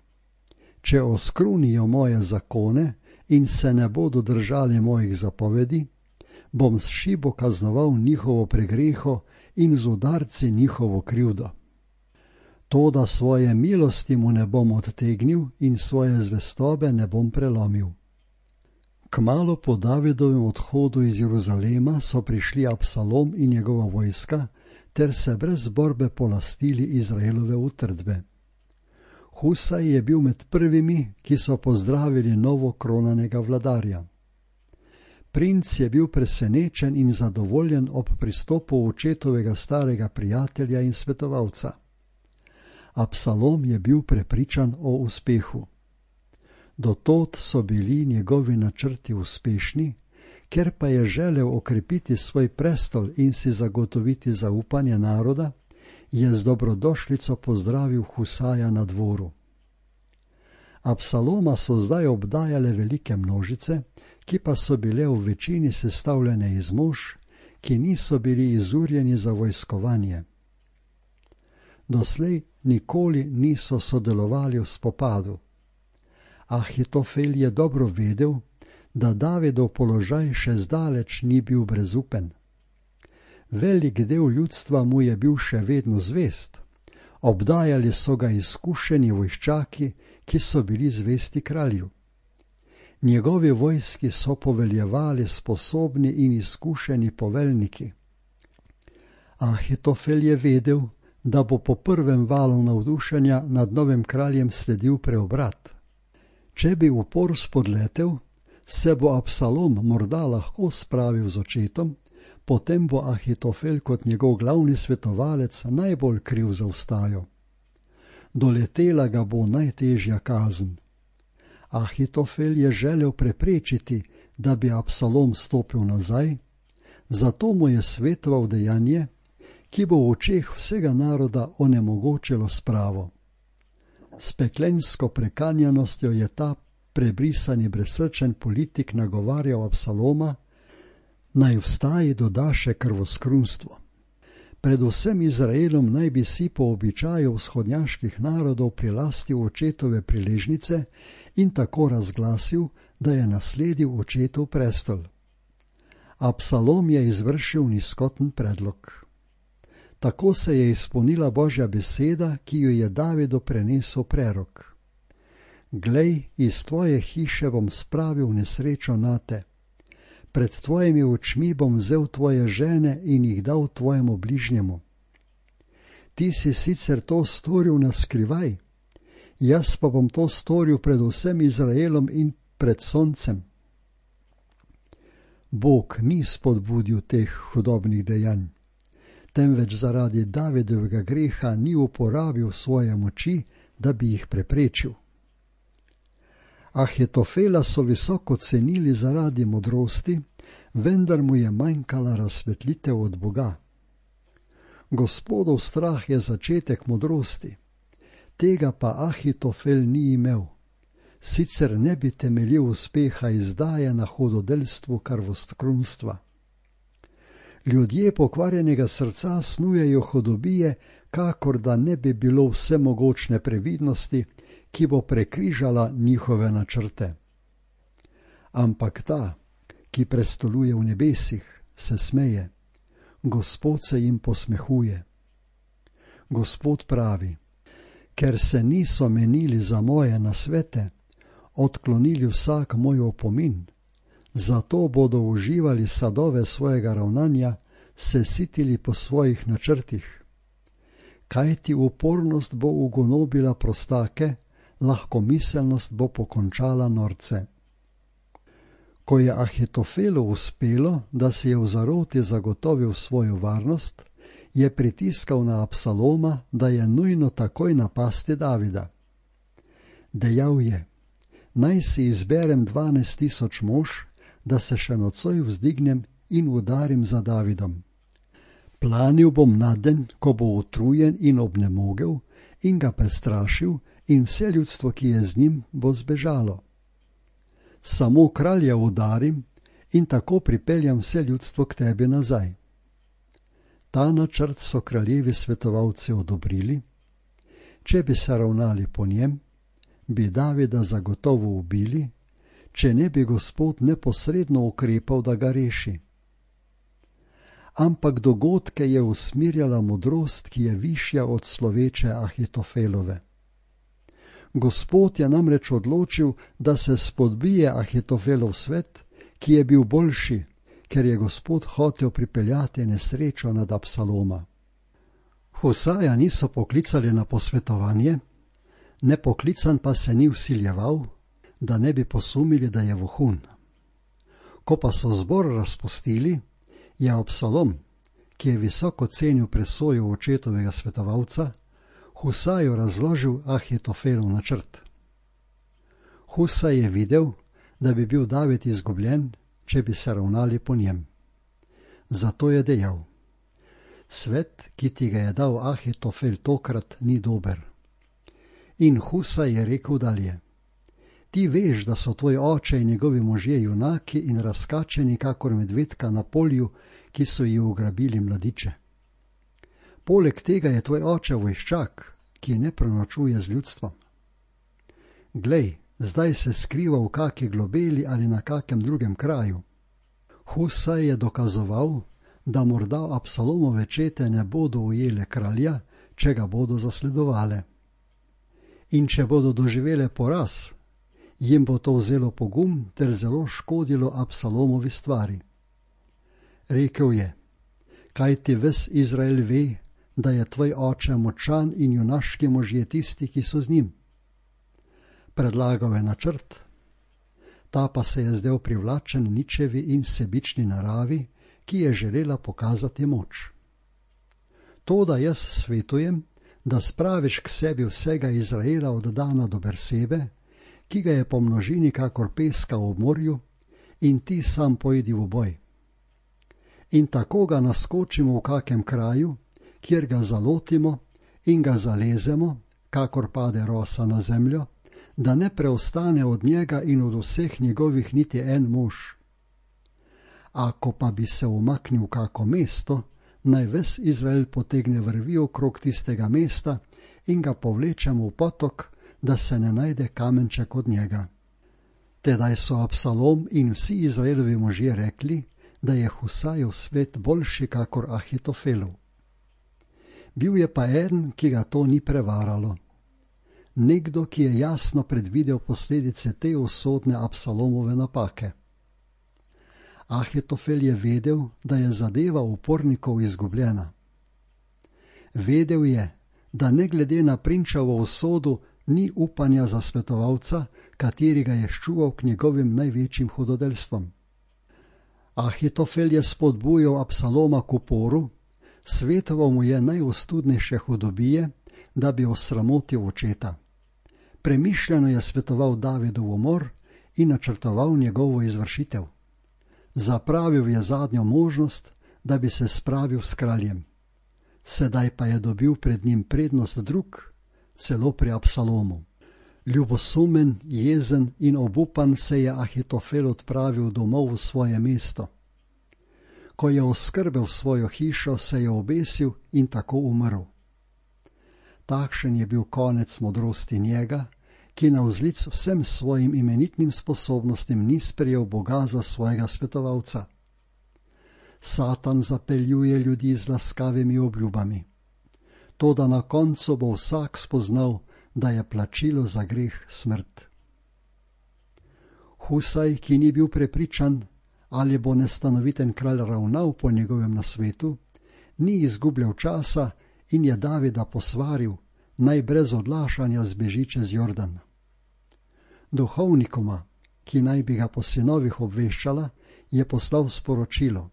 če oskrunijo moje zakone in se ne bodo držali mojih zapovedi, bom s šibo kaznoval njihovo pregreho in z udarci njihovo krivdo. Toda svoje milosti mu ne bom odtegnil in svoje zvestobe ne bom prelomil. Kmalu po Davidovem odhodu iz Jeruzalema so prišli Absalom in njegova vojska ter se brez borbe polastili Izraelove utrdbe. Husaj je bil med prvimi, ki so pozdravili novo kronanega vladarja. Princ je bil presenečen in zadovoljen ob pristopu očetovega starega prijatelja in svetovalca. Absalom je bil prepričan o uspehu. Dotod so bili njegovi načrti uspešni, ker pa je želel okrepiti svoj prestol in si zagotoviti zaupanje naroda, je z dobrodošlico pozdravil Husaja na dvoru. Absaloma so zdaj obdajale velike množice, ki pa so bile v večini sestavljene iz mož, ki niso bili izurjeni za vojskovanje. Doslej nikoli niso sodelovali v spopadu. Ahitofel je dobro vedel, da Davidov položaj še zdaleč ni bil brezupen. Velik del ljudstva mu je bil še vedno zvest. Obdajali so ga izkušeni vojščaki, ki so bili zvesti kralju. Njegovi vojski so poveljevali sposobni in izkušeni poveljniki. Ahitofel je vedel, da bo po prvem valu navdušenja nad novim kraljem sledil preobrat. Če bi upor spodletel, se bo Absalom morda lahko spravil z očetom, potem bo Ahitofel kot njegov glavni svetovalec najbolj kriv za vstajo. Doletela ga bo najtežja kazen. Ahitofel je želel preprečiti, da bi Absalom stopil nazaj, zato mu je svetoval dejanje, ki bo v očeh vsega naroda onemogočilo spravo. S peklensko prekanjanostjo je ta prebrisani brezsrčen politik nagovarjal Absaloma, naj vstaji doda še krvoskrunstvo. Predvsem Izraelom naj bi si po običaju vzhodnjaških narodov prilastil očetove priležnice in tako razglasil, da je nasledil očetov prestol. Absalom je izvršil nizkoten predlog. Tako se je izpolnila Božja beseda, ki jo je Davidu prenesel prerok. Glej, iz tvoje hiše bom spravil nesrečo nate. Pred tvojimi očmi bom vzel tvoje žene in jih dal tvojemu bližnjemu. Ti si sicer to storil na skrivaj, jaz pa bom to storil pred vsem Izraelom in pred soncem. Bog ni spodbudil teh hudobnih dejanj, temveč zaradi Davidovega greha ni uporabil svoje moči, da bi jih preprečil. Ahitofela so visoko cenili zaradi modrosti, vendar mu je manjkala razsvetlitev od Boga. Gospodov strah je začetek modrosti, tega pa Ahitofel ni imel, sicer ne bi temeljil uspeha izdaje na hudodelstvu krvoskrunstva. Ljudje pokvarjenega srca snujejo hudobije, kakor da ne bi bilo vsemogočne previdnosti, ki bo prekrižala njihove načrte. Ampak ta, ki prestoluje v nebesih, se smeje, Gospod se jim posmehuje. Gospod pravi, ker se niso menili za moje nasvete, odklonili vsak moj opomin, zato bodo uživali sadove svojega ravnanja, se sitili po svojih načrtih. Kajti upornost bo ugonobila prostake, lahkomiselnost bo pokončala norce. Ko je Ahitofelu uspelo, da si je v zaroti zagotovil svojo varnost, je pritiskal na Absaloma, da je nujno takoj napasti Davida. Dejal je, naj si izberem dvanajst tisoč mož, da se še nocoj vzdignem in udarim za Davidom. Planil bom na den, ko bo utrujen in obnemogel, in ga prestrašil, in vse ljudstvo, ki je z njim, bo zbežalo. Samo kralja udarim in tako pripeljam vse ljudstvo k tebi nazaj. Ta načrt so kraljevi svetovalci odobrili. Če bi se ravnali po njem, bi Davida zagotovo ubili, če ne bi Gospod neposredno ukrepal, da ga reši. Ampak dogodke je usmirjala modrost, ki je višja od sloveče Ahitofelove. Gospod je namreč odločil, da se spodbije Ahitofelov svet, ki je bil boljši, ker je Gospod hotel pripeljati nesrečo nad Absaloma. Husaja niso poklicali na posvetovanje, nepoklican pa se ni vsiljeval, da ne bi posumili, da je vohun. Ko pa so zbor razpustili, je Absalom, ki je visoko cenil presojo očetovega svetovalca, Husaju razložil Ahitofelov načrt. Husaj je videl, da bi bil David izgubljen, če bi se ravnali po njem. Zato je dejal, svet, ki ti ga je dal Ahitofel tokrat, ni dober. In Husaj je rekel dalje, ti veš, da so tvoj oče in njegovi možje junaki in razkačeni kakor medvedka na polju, ki so ji ugrabili mladiče. Poleg tega je tvoj oče vojščak, ki ne prenočuje z ljudstvom. Glej, zdaj se skriva v kaki globeli ali na kakem drugem kraju. Husaj je dokazoval, da morda Absalomove čete ne bodo ujele kralja, če ga bodo zasledovale. In če bodo doživele poraz, jim bo to vzelo pogum ter zelo škodilo Absalomovi stvari. Rekel je, kaj ti ves Izrael ve, da je tvoj oče močan in junaški možje tisti, ki so z njim. Predlagal je načrt, ta pa se je zdel privlačen ničevi in sebični naravi, ki je želela pokazati moč. To, da jaz svetujem, da spraviš k sebi vsega Izraela od Dana do Bersebe, ki ga je po množini kakor peska v morju, in ti sam pojdi v boj. In tako ga naskočimo v kakem kraju, kjer ga zalotimo in ga zalezemo, kakor pade rosa na zemljo, da ne preostane od njega in od vseh njegovih niti en mož. Ako pa bi se umaknil kako mesto, naj ves Izrael potegne vrvi okrog tistega mesta in ga povlečemo v potok, da se ne najde kamenček od njega. Tedaj so Absalom in vsi Izraelovi možje rekli, da je Husajev svet boljši kakor Ahitofelov. Bil je pa en, ki ga to ni prevaralo. Nekdo, ki je jasno predvidel posledice te usodne Absalomove napake. Ahitofel je vedel, da je zadeva upornikov izgubljena. Vedel je, da ne glede na prinčevo usodo ni upanja za svetovalca, kateri ga je ščuval k njegovim največjim hudodelstvom. Ahitofel je spodbujal Absaloma k uporu, svetoval mu je najostudnejše hudobije, da bi osramotil očeta. Premišljeno je svetoval Davidov umor in načrtoval njegovo izvršitev. Zapravil je zadnjo možnost, da bi se spravil s kraljem. sedaj pa je dobil pred njim prednost drug, celo pri Absalomu. Ljubosumen, jezen in obupan se je Ahitofel odpravil domov v svoje mesto. Ko je oskrbel svojo hišo, se je obesil in tako umrl. Takšen je bil konec modrosti njega, ki navzlic vsem svojim imenitnim sposobnostim ni sprejel Boga za svojega svetovalca. Satan zapeljuje ljudi z laskavimi obljubami. Toda na koncu bo vsak spoznal, da je plačilo za greh smrt. Husaj, ki ni bil prepričan, ali bo nestanoviten kralj ravnal po njegovem nasvetu, ni izgubljal časa in je Davida posvaril, naj brez odlašanja zbeži čez Jordan. Duhovnikoma, ki naj bi ga po sinovih obveščala, je poslal sporočilo.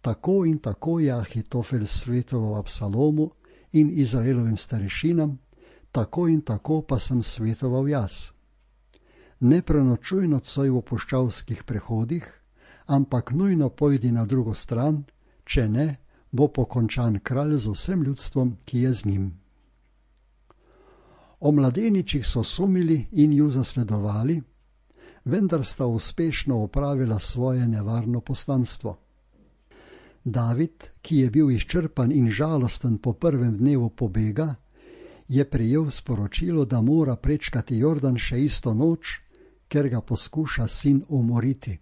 Tako in tako je Ahitofel svetoval Absalomu in Izraelovim starešinam, tako in tako pa sem svetoval jaz. Ne prenočuj nocoj v puščavskih prehodih, ampak nujno pojdi na drugo stran, če ne, bo pokončan kralj z vsem ljudstvom, ki je z njim. O mladeničih so sumili in ju zasledovali, vendar sta uspešno opravila svoje nevarno poslanstvo. David, ki je bil izčrpan in žalosten po prvem dnevu pobega, je prejel sporočilo, da mora prečkati Jordan še isto noč, ker ga poskuša sin umoriti.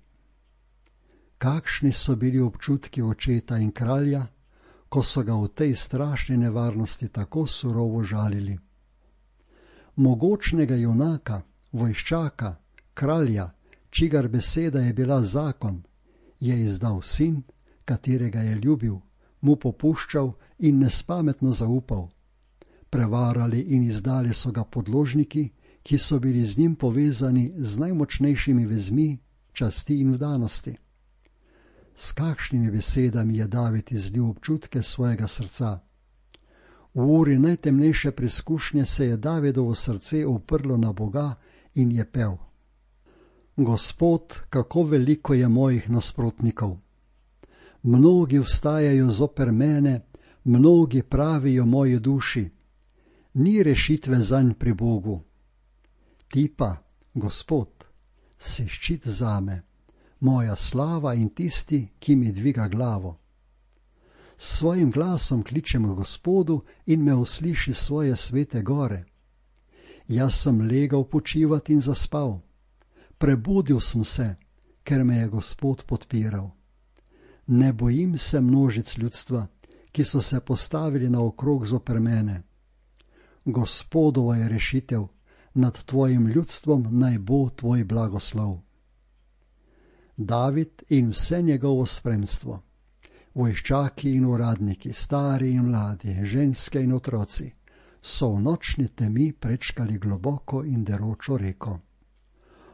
Kakšni so bili občutki očeta in kralja, ko so ga v tej strašni nevarnosti tako surovo žalili. Mogočnega junaka, vojščaka, kralja, čigar beseda je bila zakon, je izdal sin, katerega je ljubil, mu popuščal in nespametno zaupal. Prevarali in izdali so ga podložniki, ki so bili z njim povezani z najmočnejšimi vezmi, časti in vdanosti. S kakšnimi besedami je David izlil občutke svojega srca. V uri najtemnejše preizkušnje se je Davidovo srce uprlo na Boga in je pel. Gospod, kako veliko je mojih nasprotnikov. Mnogi vstajajo zoper mene, mnogi pravijo moji duši. Ni rešitve zanj pri Bogu. Ti pa, Gospod, si ščit zame, moja slava in tisti, ki mi dviga glavo. S svojim glasom kličem k Gospodu in me usliši svoje svete gore. Jaz sem legal počivat in zaspal. Prebudil sem se, ker me je Gospod podpiral. Ne bojim se množic ljudstva, ki so se postavili naokrog zoper mene. Gospodova je rešitev, nad tvojim ljudstvom naj bo tvoj blagoslov. David in vse njegovo spremstvo, vojščaki in uradniki, stari in mladi, ženske in otroci, so v nočni temi prečkali globoko in deročo reko.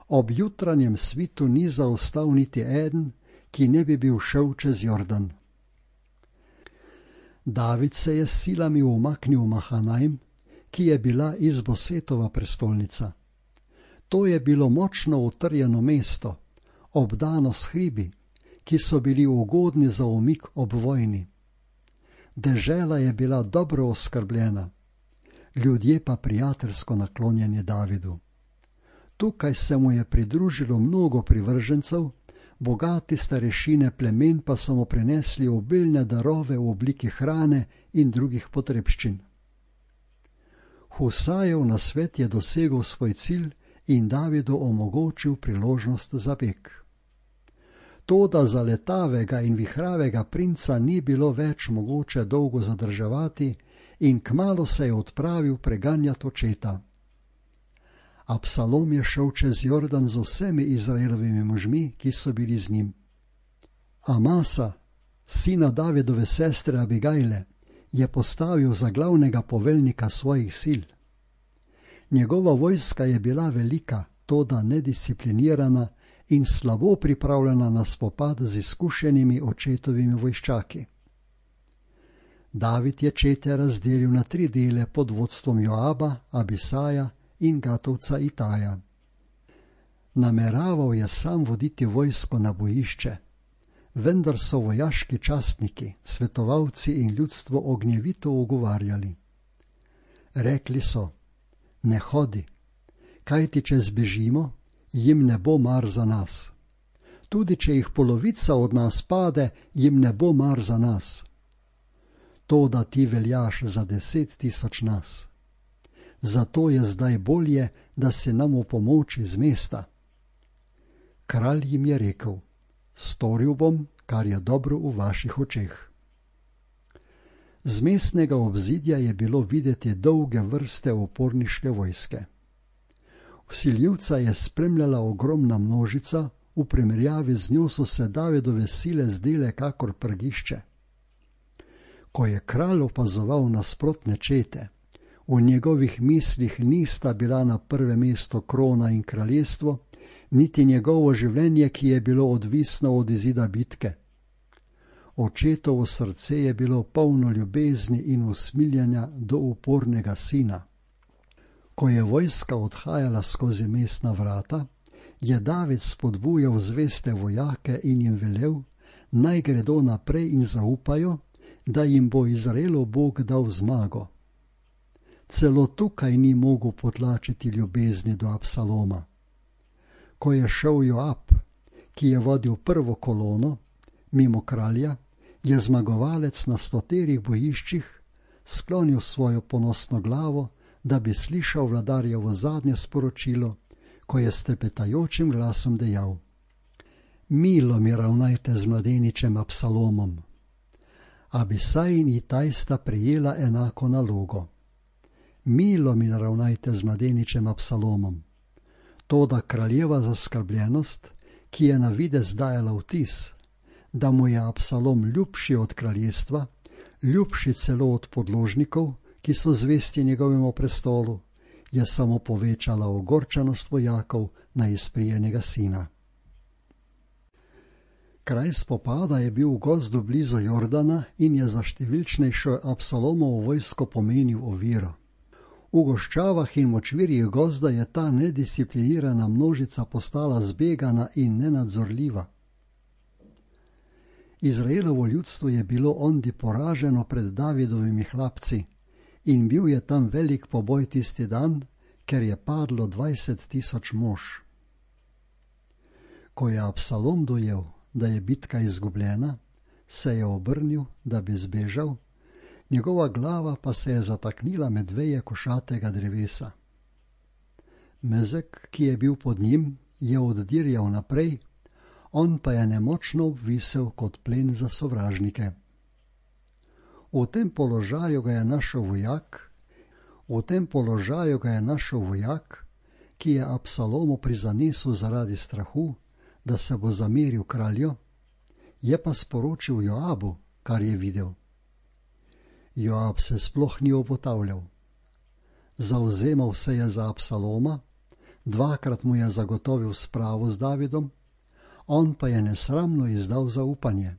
Ob jutranjem svitu ni zaostal niti eden, ki ne bi bil šel čez Jordan. David se je s silami umaknil v Mahanajm, ki je bila Izbosetova prestolnica. To je bilo močno utrjeno mesto, obdano s hribi, ki so bili ugodni za umik ob vojni. Dežela je bila dobro oskrbljena, ljudje pa prijateljsko naklonjeni Davidu. Tukaj se mu je pridružilo mnogo privržencev, bogati starešine plemen pa so mu prinesli obilne darove v obliki hrane in drugih potrebščin. Husajev nasvet je dosegel svoj cilj in Davidu omogočil priložnost za beg. Toda za letavega in vihravega princa ni bilo več mogoče dolgo zadrževati in kmalu se je odpravil preganjat očeta. Absalom je šel čez Jordan z vsemi Izraelovimi možmi, ki so bili z njim. Amasa, sina Davidove sestre Abigajle, je postavil za glavnega poveljnika svojih sil. Njegova vojska je bila velika, toda nedisciplinirana in slabo pripravljena na spopad z izkušenimi očetovimi vojščaki. David je čete razdelil na tri dele pod vodstvom Joaba, Abisaja in Gatovca Itaja. Nameraval je sam voditi vojsko na bojišče. vendar so vojaški častniki, svetovalci in ljudstvo ognjevito ugovarjali. Rekli so: ne hodi, kajti če zbežimo, jim ne bo mar za nas. Tudi če jih polovica od nas pade, jim ne bo mar za nas. To, da ti veljaš za deset tisoč nas. Zato je zdaj bolje, da se nam v pomoč iz mesta. Kralj jim je rekel: storil bom, kar je dobro v vaših očeh. Z mestnega obzidja je bilo videti dolge vrste uporniške vojske. Vsiljivca je spremljala ogromna množica, v primerjavi z njo so se Davidove sile zdele kakor prgišče. Ko je kralj opazoval nasprotne čete, v njegovih mislih nista bila na prvem mestu krona in kraljestvo, niti njegovo življenje, ki je bilo odvisno od izida bitke. Očetovo srce je bilo polno ljubezni in usmiljenja do upornega sina. Ko je vojska odhajala skozi mestna vrata, je David spodbujal zveste vojake in jim velel, naj gredo naprej in zaupajo, da jim bo Izraelov Bog dal zmago. Celo tukaj ni mogel potlačiti ljubezni do Absaloma. Ko je šel Joab, ki je vodil prvo kolono, mimo kralja, je zmagovalec na stoterih bojiščih sklonil svojo ponosno glavo, da bi slišal vladarjevo zadnje sporočilo, ko je s trepetajočim glasom dejal: milo mi ravnajte z mladeničem Absalomom. Abisaj in Itaj sta prijela enako nalogo. Milo mi ravnajte z mladeničem Absalomom. Toda kraljeva zaskrbljenost, ki je na videz dajala vtis, da mu je Absalom ljubši od kraljestva, ljubši celo od podložnikov, ki so zvesti njegovemu prestolu, je samo povečala ogorčenost vojakov na izprijenega sina. Kraj spopada je bil v gozdu blizu Jordana in je za številčnejšo Absalomovo vojsko pomenil oviro. V goščavah in močvirjih gozda je ta nedisciplinirana množica postala zbegana in nenadzorljiva. Izraelovo ljudstvo je bilo ondi poraženo pred Davidovimi hlapci in bil je tam velik poboj tisti dan, ker je padlo dvajset tisoč mož. Ko je Absalom dojel, da je bitka izgubljena, se je obrnil, da bi zbežal, njegova glava pa se je zataknila med veje košatega drevesa. Mezek, ki je bil pod njim, je oddirjal naprej, on pa je nemočno obvisel kot plen za sovražnike. V tem položaju ga je našel vojak, v tem položaju ga je našel vojak, ki je Absalomu prizanesel zaradi strahu, da se bo zameril kralju, je pa sporočil Joabu, kar je videl. Joab se sploh ni obotavljal. Zavzemal se je za Absaloma, dvakrat mu je zagotovil spravo z Davidom, on pa je nesramno izdal zaupanje.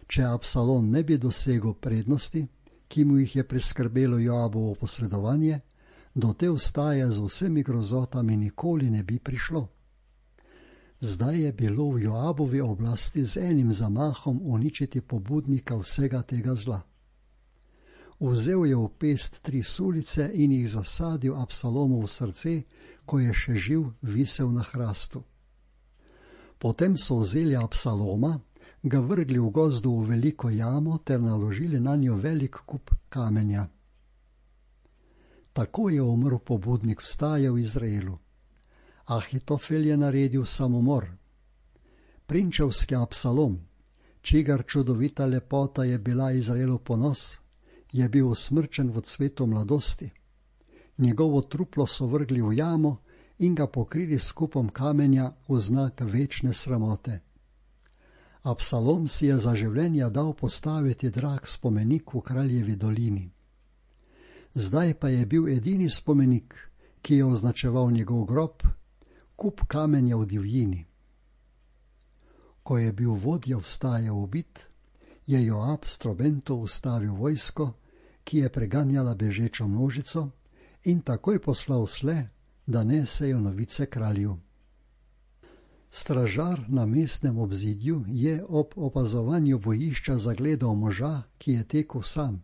Če Absalom ne bi dosegel prednosti, ki mu jih je priskrbelo Joabovo posredovanje, do te vstaje z vsemi grozotami nikoli ne bi prišlo. Zdaj je bilo v Joabovi oblasti z enim zamahom uničiti pobudnika vsega tega zla. Vzel je v pest tri sulice in jih zasadil Absalomovo srce, ko je še živ visel na hrastu. Potem so vzeli Absaloma, ga vrgli v gozdu v veliko jamo ter naložili na njo velik kup kamenja. Tako je umrl pobudnik vstaje v Izraelu. Ahitofel je naredil samomor. Prinčevski Absalom, čigar čudovita lepota je bila Izraelu ponos, je bil usmrčen v cvetu mladosti. Njegovo truplo so vrgli v jamo in ga pokrili s kupom kamenja v znak večne sramote. Absalom si je za življenja dal postaviti drag spomenik v Kraljevi dolini. Zdaj pa je bil edini spomenik, ki je označeval njegov grob, kup kamenja v divjini. Ko je bil vodja vstaje ubit, je Joab s trobento ustavil vojsko, ki je preganjala bežečo množico, in takoj poslal sle, da nesejo novice kralju. Stražar na mestnem obzidju je ob opazovanju bojišča zagledal moža, ki je tekel sam.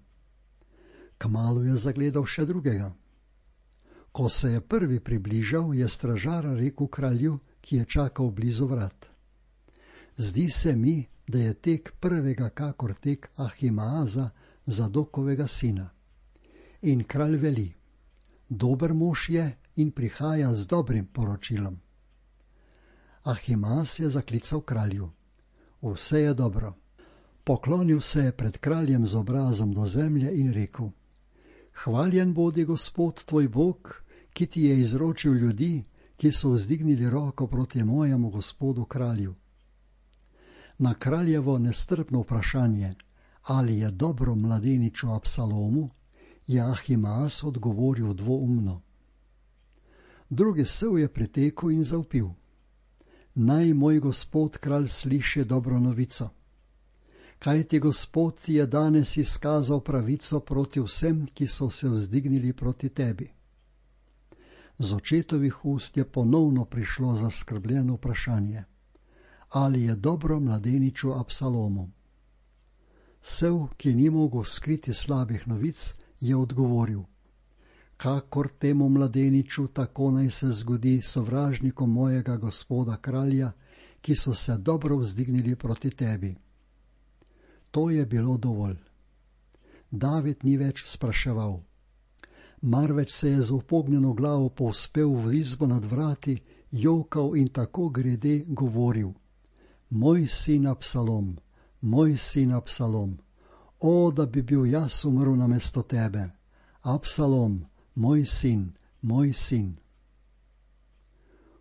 Kmalu je zagledal še drugega. Ko se je prvi približal, je stražar rekel kralju, ki je čakal blizu vrat: Zdi se mi, da je tek prvega kakor tek Ahimaaza, Zadokovega sina. In kralj veli: Dober mož je in prihaja z dobrim poročilom. Ahimaaz je zaklical kralju: Vse je dobro. Poklonil se je pred kraljem z obrazom do zemlje in rekel: Hvaljen bodi Gospod tvoj Bog, ki ti je izročil ljudi, ki so vzdignili roko proti mojemu gospodu kralju. Na kraljevo nestrpno vprašanje, ali je dobro mladeniču Absalomu, je Ahimaaz odgovoril dvoumno. Drugi sev je pritekel in zavpil: Naj moj gospod kralj sliši dobro novico. Kaj ti gospod ti je danes izkazal pravico proti vsem, ki so se vzdignili proti tebi? Z očetovih ust je ponovno prišlo zaskrbljeno vprašanje: ali je dobro mladeniču Absalomu? Sev, ki ni mogel skriti slabih novic, je odgovoril: Kakor temu mladeniču, tako naj se zgodi sovražnikom mojega gospoda kralja, ki so se dobro vzdignili proti tebi. To je bilo dovolj. David ni več spraševal, marveč se je z upognjeno glavo povzpel v izbo nad vrati, jokal in tako grede govoril: Moj sin Absalom, moj sin Absalom, o, da bi bil jaz umrl namesto tebe, Absalom, moj sin, moj sin.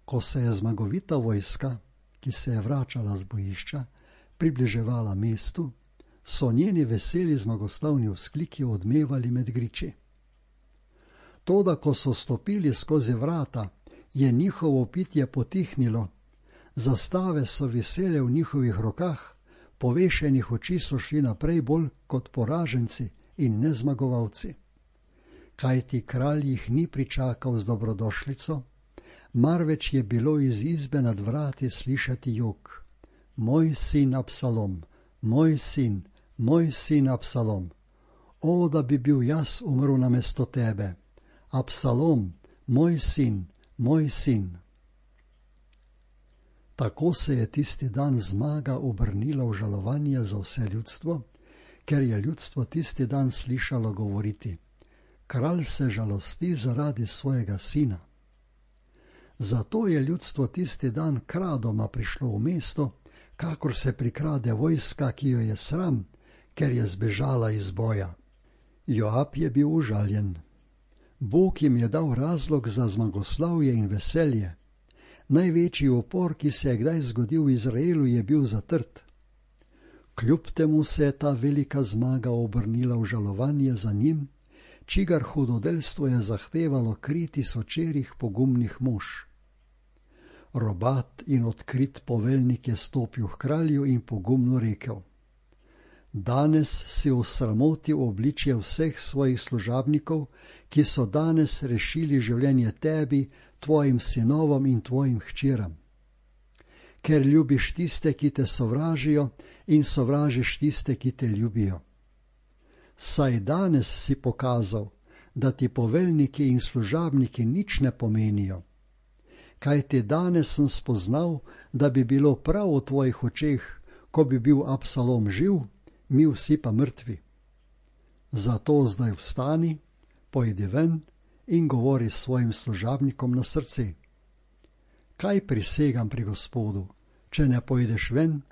Ko se je zmagovita vojska, ki se je vračala z bojišča, približevala mestu, so njeni veseli zmagoslavni vzkliki odmevali med griči. Toda, ko so stopili skozi vrata, je njihovo pitje potihnilo, zastave so visele v njihovih rokah, povešenih oči so šli naprej bolj kot poraženci in nezmagovalci. Kajti kralj jih ni pričakal z dobrodošlico, marveč je bilo iz izbe nad vrati slišati jok: Moj sin Absalom, moj sin, moj sin Absalom, o, da bi bil jaz umrl namesto tebe, Absalom, moj sin, moj sin. Tako se je tisti dan zmaga obrnila v žalovanje za vse ljudstvo, ker je ljudstvo tisti dan slišalo govoriti: Kralj se žalosti zaradi svojega sina. Zato je ljudstvo tisti dan kradoma prišlo v mesto, kakor se prikrade vojska, ki jo je sram, ker je zbežala iz boja. Joab je bil užaljen. Bog jim je dal razlog za zmagoslavje in veselje. Največji upor, ki se je kdaj zgodil v Izraelu, je bil zatrt. Kljub temu se je ta velika zmaga obrnila v žalovanje za njim, čigar hudodelstvo je zahtevalo kri tisočerih pogumnih mož. Robat in odkrit poveljnik je stopil k kralju in pogumno rekel: Danes si osramotil obličje vseh svojih služabnikov, ki so danes rešili življenje tebi, tvojim sinovom in tvojim hčeram. Ker ljubiš tiste, ki te sovražijo, in sovražiš tiste, ki te ljubijo. Saj danes si pokazal, da ti poveljniki in služabniki nič ne pomenijo. Kajti danes sem spoznal, da bi bilo prav v tvojih očeh, ko bi bil Absalom živ, mi vsi pa mrtvi. Zato zdaj vstani, pojdi ven in govori s svojim služabnikom na srce. Kaj prisegam pri Gospodu, če ne pojdeš ven,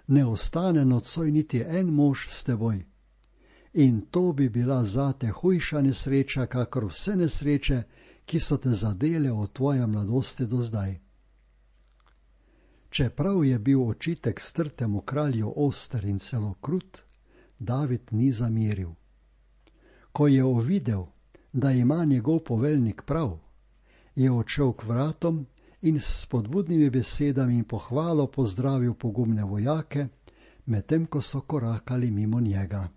ne ostane nocoj niti en mož s teboj. In to bi bila zate hujša nesreča, kakor vse nesreče, ki so te zadele od tvoje mladosti do zdaj. Čeprav je bil očitek strtemu kralju oster in celo krut, David ni zamiril. Ko je uvidel, da ima njegov poveljnik prav, je odšel k vratom in s spodbudnimi besedami in pohvalo pozdravil pogumne vojake, medtem ko so korakali mimo njega.